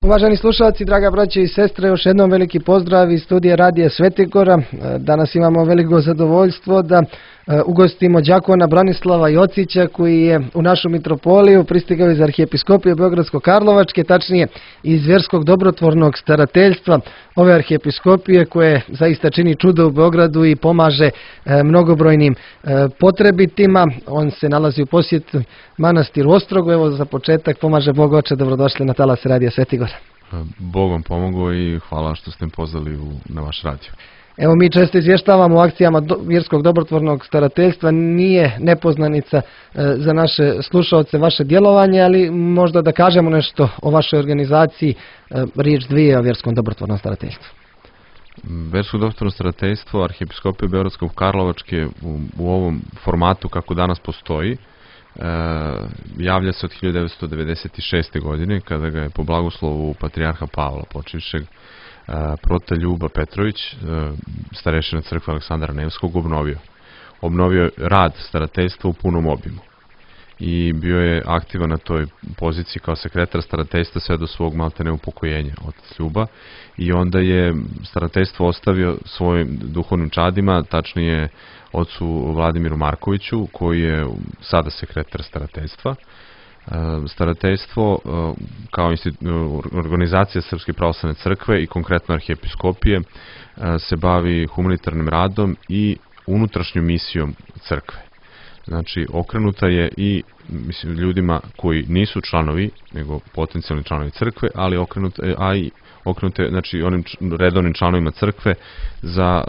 Uvaženi slušalci, draga braće i sestre, još jednom veliki pozdrav iz studija Radija Svetigora. Danas imamo veliko zadovoljstvo da ugostimo đakona Branislava Jocića, koji je u našu mitropoliju pristigao iz Arhijepiskopije Beogradsko-Karlovačke, tačnije iz Vjerskog dobrotvornog starateljstva ove arhijepiskopije, koje zaista čini čudo u Beogradu i pomaže mnogobrojnim potrebitima. On se nalazi u posjetu manastiru Ostrogu. Evo, za početak, pomaže Bog oče, dobrodošli na talas Radija Svetigora. Bog vam pomogao i hvala što ste me pozvali na vaš radio. Evo, mi često izvještavamo o akcijama Vjerskog dobrotvornog starateljstva, nije nepoznanica za naše slušalce vaše djelovanje, ali možda da kažemo nešto o vašoj organizaciji, riječ dvije o Vjerskom dobrotvornom starateljstvu. Vjersko dobrotvorno starateljstvo Arhijepiskopije Beogradsko-Karlovačke u ovom formatu kako danas postoji javlja se od 1996. godine, kada ga je po blagoslovu patrijarha Pavla počivšeg prota Ljuba Petrović, starešina crkve Aleksandra Nevskog, obnovio rad starateljstva u punom obimu i bio je aktivan na toj poziciji kao sekretar starateljstva sve do svog maltene upokojenja otac Ljuba, i onda je starateljstvo ostavio svojim duhovnim čadima, tačnije ocu Vladimiru Markoviću, koji je sada sekretar starateljstva. Starateljstvo kao organizacija Srpske pravoslavne crkve i konkretno arhijepiskopije se bavi humanitarnim radom i unutrašnjom misijom crkve. Znači, okrenuta je i ljudima koji nisu članovi, nego potencijalni članovi crkve, ali okrenuta je, znači, onim redovnim članovima crkve za,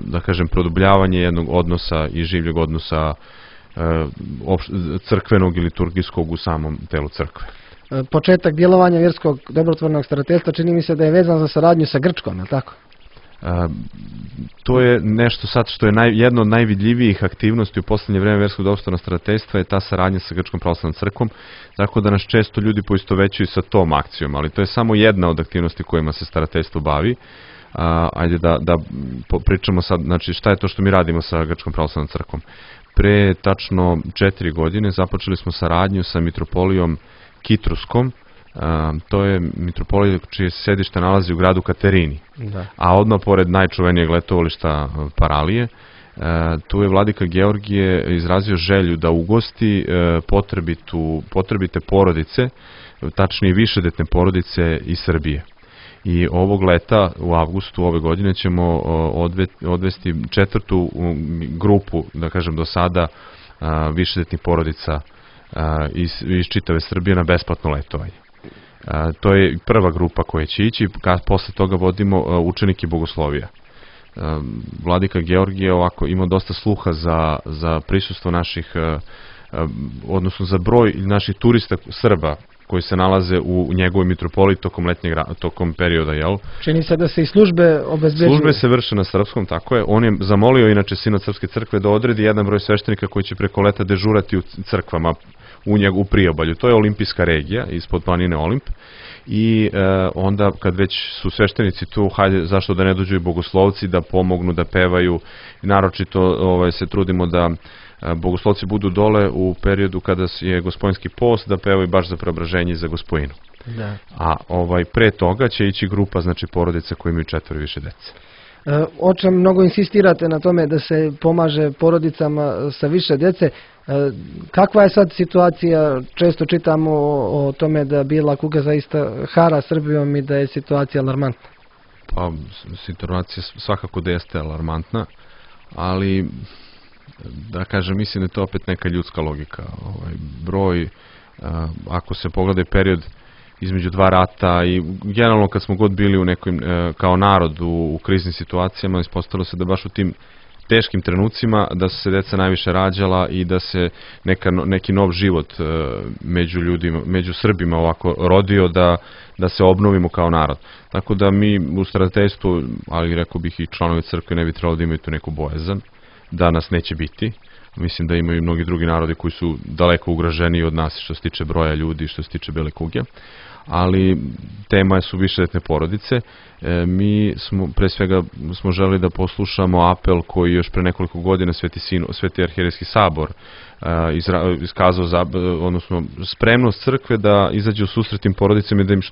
da kažem, produbljavanje jednog odnosa i življeg odnosa crkvenog i liturgijskog u samom telu crkve. Početak djelovanja Vjerskog dobrotvornog starateljstva čini mi se da je vezan za saradnju sa Grčkom, je li tako? To je nešto sad što je jedno od najvidljivijih aktivnosti u posljednje vrijeme Vjerskog dobrotvornog starateljstva, je ta saradnja sa Grčkom pravoslavnom crkvom, tako da nas često ljudi poistovećuju sa tom akcijom, ali to je samo jedna od aktivnosti kojima se starateljstvo bavi. Ajde da pričamo sad, znači, šta je to što mi radimo sa Grčkom pravoslavnom crkvom. Pre tačno 4 godine započeli smo saradnju sa mitropolijom Kitruskom. To je mitropolija čije se sedište nalazi u gradu Katerini, a odmah pored najčuvenijeg letovališta Paralije. Tu je vladika Georgije izrazio želju da ugosti potrebite porodice, tačnije višedetne porodice iz Srbije. I ovog leta, u avgustu ove godine, ćemo odvesti 4. grupu, da kažem do sada, višedetnih porodica iz čitave Srbije na besplatno letovanje. To je prva grupa koja će ići, posle toga vodimo učenike bogoslovija. Vladika Georgije ima dosta sluha za prisustvo naših, odnosno za broj naših turista Srba koji se nalaze u njegovoj mitropoliji tokom perioda, jel? Čini se da se i službe obezbeđuju. Službe se vrše na srpskom, tako je. On je zamolio inače Sinod Srpske crkve da odredi jedan broj sveštenika koji će preko leta dežurati u crkvama u priobalju. To je olimpijska regija ispod planine Olimp, i onda kad već su sveštenici tu, hajde, zašto da ne dođu i bogoslovci da pomognu, da pevaju. Naročito se trudimo da bogoslovci budu dole u periodu kada je Gospojinski post, da pevaju baš za preobraženje i za Gospojinu. A pre toga će ići grupa, znači, porodica koji imaju 4 i više dece. Oče, mnogo insistirate na tome da se pomaže porodicama sa više djece. Kakva je sad situacija? Često čitamo o tome da bijela kuga zaista hara Srbijom i da je situacija alarmantna. Pa, situacija svakako da jeste alarmantna, ali, da kažem, mislim da je to opet neka ljudska logika. Broj, ako se pogleda period između 2 rata i generalno kad smo god bili u nekim, kao narod u kriznim situacijama, ispostavilo se da baš u tim teškim trenucima da su se deca najviše rađala i da se neki nov život među ljudima, među Srbima ovako rodio, da se obnovimo kao narod. Tako da mi u starateljstvu, ali rekao bih i članovi crkve, ne bi trebalo da imaju tu neku bojazan, da nas neće biti. Mislim da imaju i mnogi drugi narodi koji su daleko ugroženiji od nas što se tiče broja ljudi, što se tiče bele kuge. ali tema su višedetne porodice. Mi smo, pre svega, smo želeli da poslušamo apel koji još pre nekoliko godina Sveti arhijerejski sabor iskazao, odnosno spremnost crkve da izađe u susret tim porodicama i da im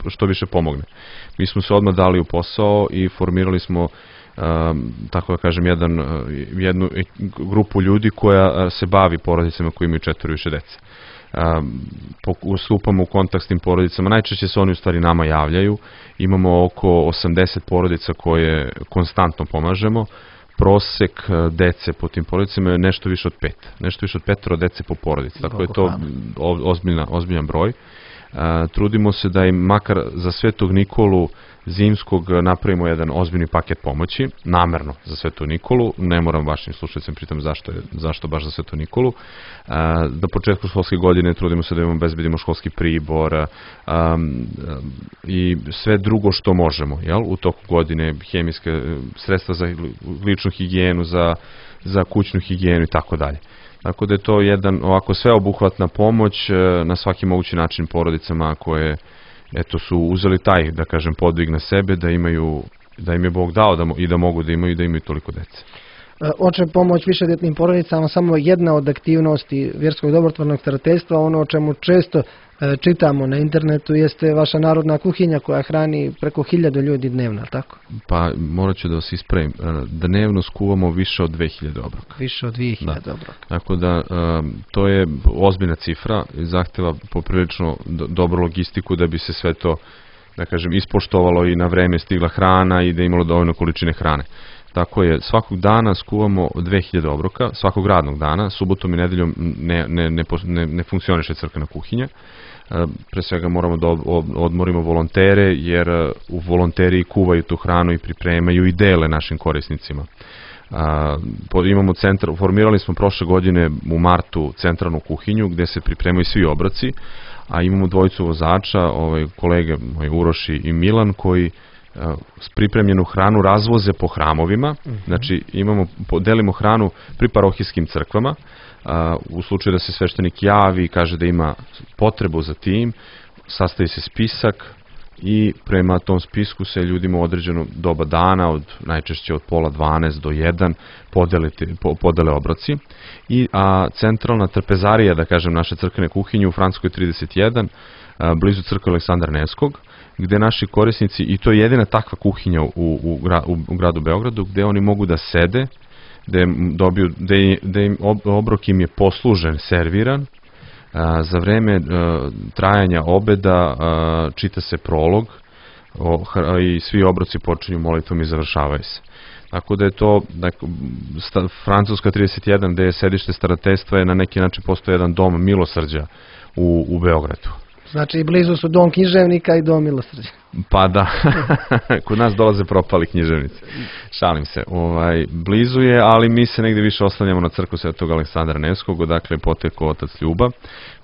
što više pomogne. Mi smo se odmah dali u posao i formirali smo, tako da kažem, jednu grupu ljudi koja se bavi porodicama koji imaju 4 i više dece. Stupamo u kontakt s tim porodicama, najčešće se oni u stvari nama javljaju, imamo oko 80 porodica koje konstantno pomažemo, prosek dece po tim porodicama je nešto više od 5 dece po porodici, tako je to ozbiljan broj. Trudimo se da im makar za Svetog Nikolu zimskog napravimo jedan ozbiljni paket pomoći, namerno za Svetog Nikolu, ne moram vašim slušalicama pritom zašto baš za Svetog Nikolu. Na početku školske godine trudimo se da im obezbedimo školski pribor i sve drugo što možemo, u toku godine, hemijske sredstva za ličnu higijenu, za kućnu higijenu i tako dalje. Tako da je to jedan ovako sveobuhvatna pomoć na svaki mogući način porodicama koje su uzeli taj, da kažem, podvig na sebe, da im je Bog dao i da mogu da imaju toliko dece. Oče, pomoć višedetnim porodicama samo jedna od aktivnosti vjerskog dobrotvornog starateljstva. Ono o čemu često čitamo na internetu jeste vaša narodna kuhinja koja hrani preko 1000 ljudi dnevno, tako? Pa morat ću da vas ispravim. Dnevno skuvamo više od 2000 obroka. Više od 2000 obroka. Tako da to je ozbiljna cifra i zahteva poprilično dobru logistiku da bi se sve to, da kažem, ispoštovalo i na vreme stigla hrana i da imalo dovoljno količine hrane. Tako je, svakog dana skuvamo 2000 obroka, svakog radnog dana, subotom i nedeljom ne funkcioniše crkvena kuhinja. Pre svega moramo da odmorimo volontere, jer u volonteriji kuvaju tu hranu i pripremaju i dele našim korisnicima. Formirali smo prošle godine u martu centralnu kuhinju gde se pripremaju svi obroci, a imamo dvojicu vozača, kolege moji Uroš i Milan, koji pripremljenu hranu razvoze po hramovima. Znači delimo hranu pri parohijskim crkvama, u slučaju da se sveštenik javi i kaže da ima potrebu za tim, sastavi se spisak i prema tom spisku se ljudima u određeno doba dana, najčešće od 11:30 do 1 podele obroci. A centralna trpezarija, da kažem, naše crkvene kuhinje u Francuskoj 31, blizu crkve Aleksandra Nevskog, gde naši korisnici, i to je jedina takva kuhinja u gradu Beogradu, gde oni mogu da sede, gde obrok im je poslužen, serviran, za vreme trajanja obeda čita se prolog i svi obroci počinju molitvom i završavaju se. Tako da je to, Francuska 31, gde je sedište starateljstva, je na neki način postoji jedan dom milosrđa u Beogradu. Znači, blizu su dom književnika i dom milosrđa. Pa da, kod nas dolaze propali književnici. Šalim se. Blizu je, ali mi se negdje više oslanjamo na crkvu Svetog Aleksandra Nevskog, odakle je potekao otac Ljuba.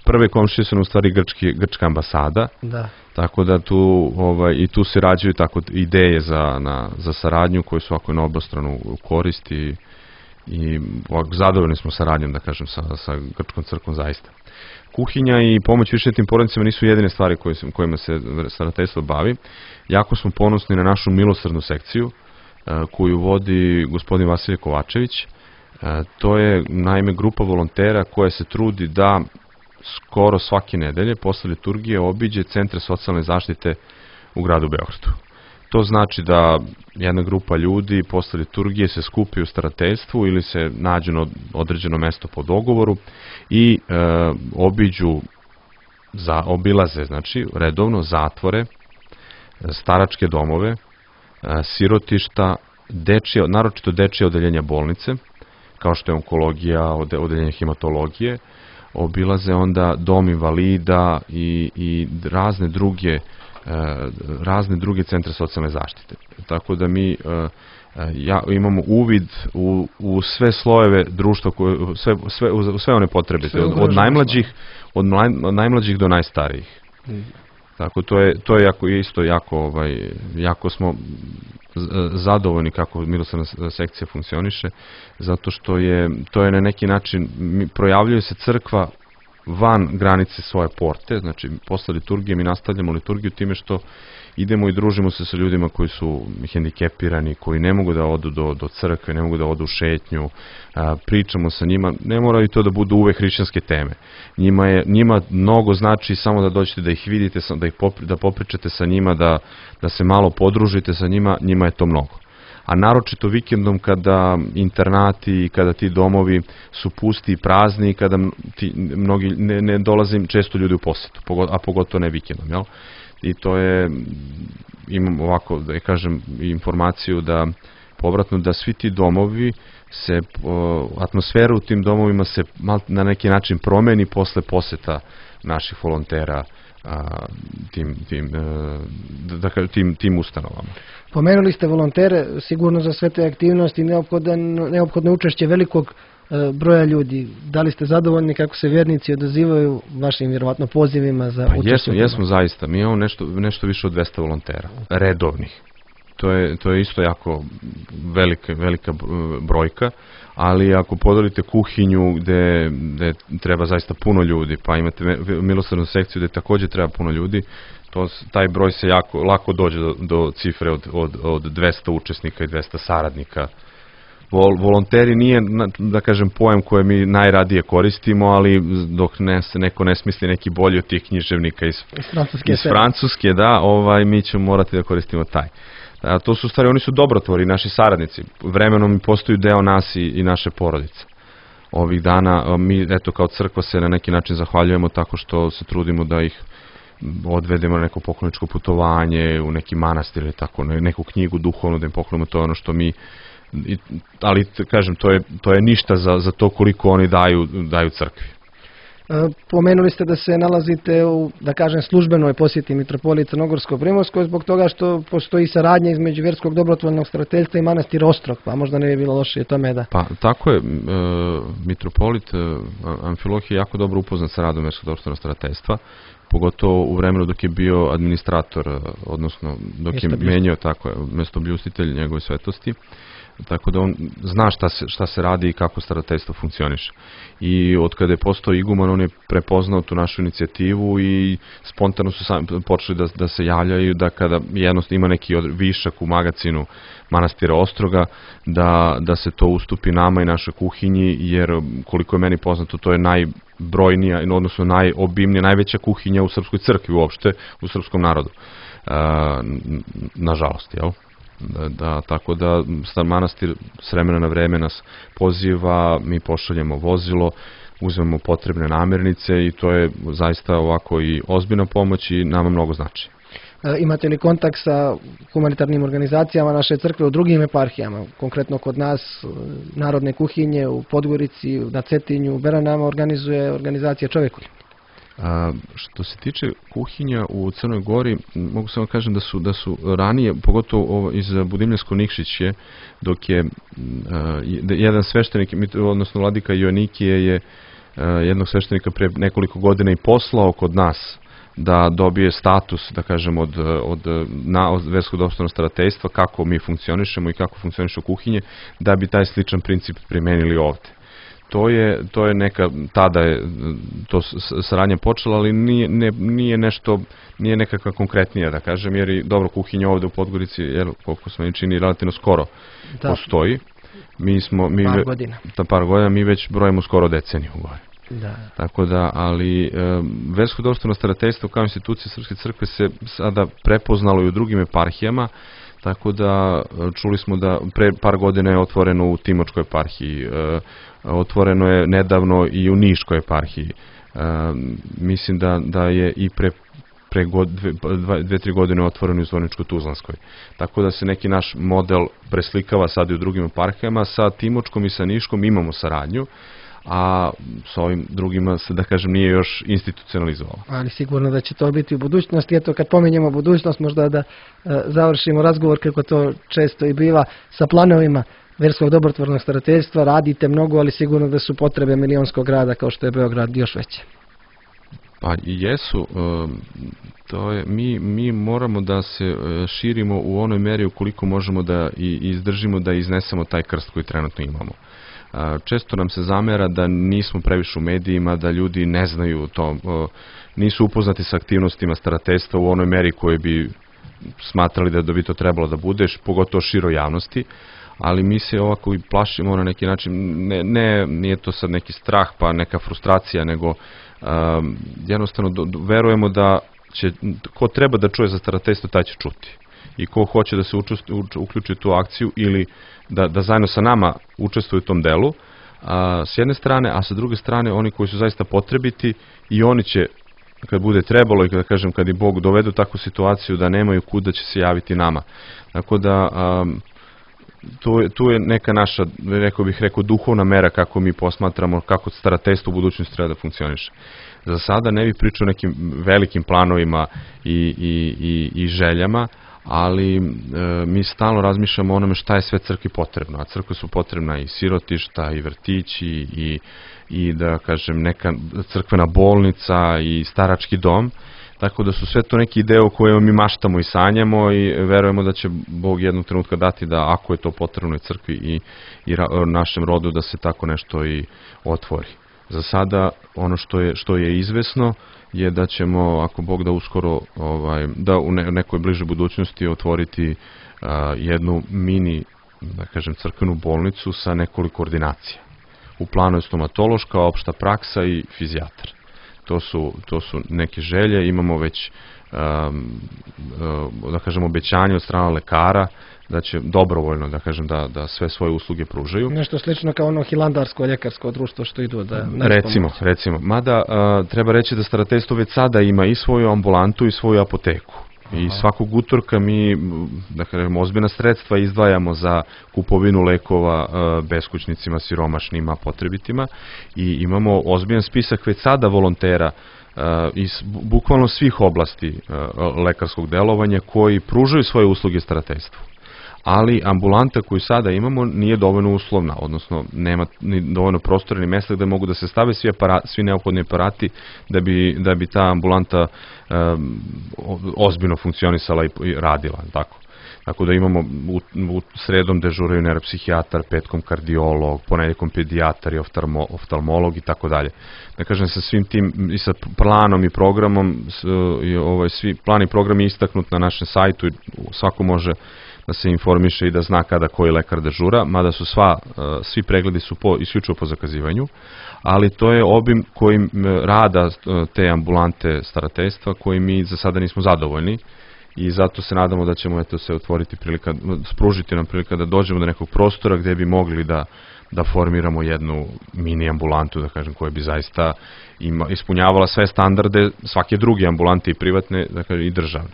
Prve komšije su u stvari grčka ambasada. Da. Tako da i tu se rađaju tako ideje za saradnju koje su ovako na obostranu korist i zadovoljni smo saradnjom, da kažem, sa grčkom crkvom zaista. Kuhinja i pomoć višedetnim porodicama nisu jedine stvari kojima se starateljstvo bavi. Jako smo ponosni na našu milosrdnu sekciju koju vodi gospodin Vasilije Kovačević. To je naime grupa volontera koja se trudi da skoro svake nedelje posle liturgije obiđe centre socijalne zaštite u gradu Beogradu. To znači da jedna grupa ljudi posle liturgije se skupi u starateljstvu ili se nađu na određeno mesto po dogovoru i obilaze, znači, redovno zatvore, staračke domove, sirotišta, naročito dečije odeljenja bolnice, kao što je onkologija, odeljenje hematologije, obilaze onda dom invalida i razne druge centre socijalne zaštite. Tako da mi imamo uvid u sve slojeve društva, sve one potrebe, od najmlađih do najstarijih. Tako to je isto jako smo zadovoljni kako milosrdna sekcija funkcioniše, zato što to je na neki način, projavljuje se crkva van granice svoje porte, znači posle liturgije mi nastavljamo liturgiju time što idemo i družimo se sa ljudima koji su hendikepirani, koji ne mogu da odu do crkve, ne mogu da odu u šetnju, pričamo sa njima, ne moraju to da budu uvek hrišćanske teme. Njima mnogo znači samo da dođete da ih vidite, da popričate sa njima, da se malo podružite sa njima, njima je to mnogo. A naročito vikendom kada internati i kada ti domovi su pusti i prazni, kada mnogi ne dolaze često ljudi u posetu, a pogotovo ne vikendom, jel? I to je, imam ovako, da kažem, informaciju da povratno da svi ti domovi atmosfera u tim domovima se na neki način promeni posle poseta naših volontera tim ustanovama. Pomenuli ste volontere, sigurno za sve te aktivnosti neophodno učešće velikog broja ljudi. Da li ste zadovoljni kako se vjernici odazivaju vašim vjerovatno pozivima za učešće? Jesmo zaista. Mi imamo nešto više od 200 volontera, redovnih. To je isto jako velika brojka, ali ako podelite kuhinju gde treba zaista puno ljudi, pa imate milosrdnu sekciju gde takođe treba puno ljudi, taj broj se lako dođe do cifre od 200 učesnika i 200 saradnika. Volonteri nije, da kažem, pojam koje mi najradije koristimo, ali dok neko ne smisli neki bolji od tih književnika iz Francuske, da, mi ćemo morati da koristimo taj. To su stvari, oni su dobrotvori, naši saradnici. Vremenom postaju deo nas i naše porodice. Ovih dana mi, eto, kao crkva se na neki način zahvaljujemo tako što se trudimo da ih odvedemo na neko pokloničko putovanje, u neki manastir ili tako, neku knjigu duhovnu da im poklonimo, to je ono što mi, ali kažem, to je ništa za to koliko oni daju crkvi. Pomenuli ste da se nalazite u, da kažem, službenoj posjeti Mitropolije Crnogorsko-Primorskoj zbog toga što postoji saradnja između Vjerskog dobrotvornog starateljstva i manastira Ostrog, pa možda ne bi bilo loše tome da... Pa tako je, mitropolit Amfilohije jako dobro upoznat sa radom Vjerskog dobrotvornog starateljstva, pogotovo u vremenu dok je bio administrator, odnosno dok je menjao mestobljustitelj njegove svetosti. Tako da on zna šta se radi i kako starateljstvo funkcioniše. I od kada je postao iguman, on je prepoznao tu našu inicijativu i spontano su počeli da se javljaju da kada jednostavno ima neki višak u magacinu manastira Ostroga, da se to ustupi nama i našoj kuhinji, jer koliko je meni poznato, to je najbrojnija, odnosno najobimnija, najveća kuhinja u srpskoj crkvi uopšte, u srpskom narodu. Nažalost, jel? Tako da star manastir s vremena na vreme nas poziva, mi pošaljemo vozilo, uzmemo potrebne namirnice i to je zaista ovako i ozbiljna pomoć i nama mnogo znači. Imate li kontakt sa humanitarnim organizacijama naše crkve u drugim eparhijama? Konkretno kod nas Narodne kuhinje u Podgorici, na Cetinju, u Beranama organizuje organizacija Čovekoljublje. Što se tiče kuhinja u Crnoj Gori, mogu samo kažem da su ranije, pogotovo iz Budimljansko-Nikšić dok je jedan sveštenik, odnosno vladika Joanikije je jednog sveštenika pre nekoliko godina i poslao kod nas da dobije status, da kažem, od Verskog dobrotvornog starateljstva, kako mi funkcionišemo i kako funkcionišu kuhinje, da bi taj sličan princip primenili ovde. To je tada je to saradnja počela, ali nije nekakva konkretnija, da kažem, jer i dobro kuhinja ovde u Podgorici, jer koliko smo čini, relativno skoro postoji. Par godina, mi već brojimo skoro deceniju gore. Tako da, ali Versko dobrotvorno starateljstvo kao institucija Srpske crkve se sada prepoznalo i u drugim eparhijama, tako da čuli smo da pre par godina je otvoreno u Timočkoj eparhiji, otvoreno je nedavno i u Niškoj eparhiji. Mislim da je i pre 2-3 godine otvoreno u Zvorničko-Tuzlanskoj. Tako da se neki naš model preslikava sad i u drugim eparhijama. Sa Timočkom i sa Niškom imamo saradnju, a sa ovim drugima se, da kažem, nije još institucionalizovalo. Ali sigurno da će to biti u budućnosti. Eto, kad pominjemo budućnost, možda da završimo razgovor, kako to često i biva, sa planovima Verskog dobrotvornog starateljstva. Radite mnogo, ali sigurno da su potrebe milionskog grada kao što je Beograd još veće. Pa i jesu. Mi moramo da se širimo u onoj meri ukoliko možemo da izdržimo da iznesemo taj krst koji trenutno imamo. Često nam se zamera da nismo previše u medijima, da ljudi ne znaju to, nisu upoznati sa aktivnostima starateljstva u onoj meri koje bi smatrali da bi to trebalo da budeš, pogotovo široj javnosti, ali mi se ovako i plašimo na neki način, nije to sad neki strah pa neka frustracija, nego jednostavno verujemo da će, ko treba da čuje za starateljstvo, taj će čuti. I ko hoće da se uključi u tu akciju ili da zajedno sa nama učestvuju u tom delu, s jedne strane, a sa druge strane oni koji su zaista potrebiti i oni će, kad bude trebalo i kada kažem, kad i Bog dovede u takvu situaciju da nemaju kuda, će se javiti nama. Tako da tu je neka naša, rekao duhovna mera kako mi posmatramo kako starateljstvo u budućnosti treba da funkcioniše. Za sada ne bih pričao o nekim velikim planovima i željama, ali mi stalno razmišljamo o onome šta je sve crkvi potrebno, a crkvi su potrebna i sirotišta, i vrtići, i da kažem neka crkvena bolnica i starački dom, tako da su sve to neki ideje o kojima mi maštamo i sanjamo i verujemo da će Bog jednog trenutka dati da ako je to potrebno i crkvi i našem rodu da se tako nešto i otvori. Za sada ono što je izvesno je da ćemo, ako Bog da uskoro, da u nekoj bližoj budućnosti otvoriti jednu mini, da kažem, crkvenu bolnicu sa nekoliko ordinacija. U planu je stomatološka, opšta praksa i fizijatar. To su neke želje, imamo već, da kažem, obećanje od strana lekara da će dobrovoljno, da kažem, da sve svoje usluge pružaju. Nešto slično kao ono hilandarsko ljekarsko društvo što idu da... Recimo. Mada treba reći da starateljstvo već sada ima i svoju ambulantu i svoju apoteku. I svakog utorka mi, da kažem, ozbiljna sredstva izdvajamo za kupovinu lekova beskućnicima, siromašnima, potrebitima i imamo ozbiljan spisak već sada volontera iz bukvalno svih oblasti lekarskog delovanja koji pružaju svoje usluge starateljstvu. Ali ambulanta koju sada imamo nije dovoljno uslovna, odnosno nema ni dovoljno prostora ni mesta gde mogu da se stave svi neophodni aparati da bi ta ambulanta ozbiljno funkcionisala i radila. Tako da imamo u sredom dežuraju neuropsihijatar, petkom kardiolog, ponedeljkom pedijatar i oftalmolog i tako dalje. Da kažem, sa svim tim i sa planom i programom, svi plan i program je istaknut na našem sajtu i svako može da se informiše i da zna kada koji lekar dežura, mada su svi pregledi su isključivo po zakazivanju, ali to je obim kojim rada te ambulante starateljstva koji mi za sada nismo zadovoljni i zato se nadamo da ćemo se otvoriti prilika, spružiti nam prilika da dođemo do nekog prostora gde bi mogli da formiramo jednu mini ambulantu, da kažem, koja bi zaista ispunjavala sve standarde svake druge ambulante i privatne, da kažem, i državne.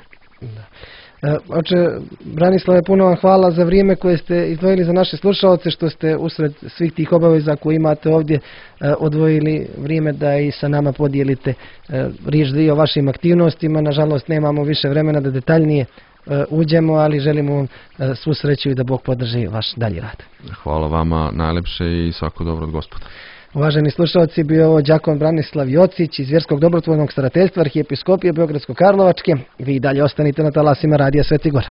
Oče Branislave, puno vam hvala za vrijeme koje ste izdvojili za naše slušalce, što ste usred svih tih obaveza koje imate ovdje odvojili vrijeme da i sa nama podijelite riječ o vašim aktivnostima. Nažalost, nemamo više vremena da detaljnije uđemo, ali želimo vam svu sreću i da Bog podrži vaš dalji rad. Hvala vama najlepše i svako dobro od Gospoda. Uvaženi slušalci, bio je ovo đakon Branislav Jocić iz Vjerskog dobrotvornog starateljstva Arhijepiskopije Beogradsko-Karlovačke. Vi dalje ostanite na talasima Radija Sveti Gor.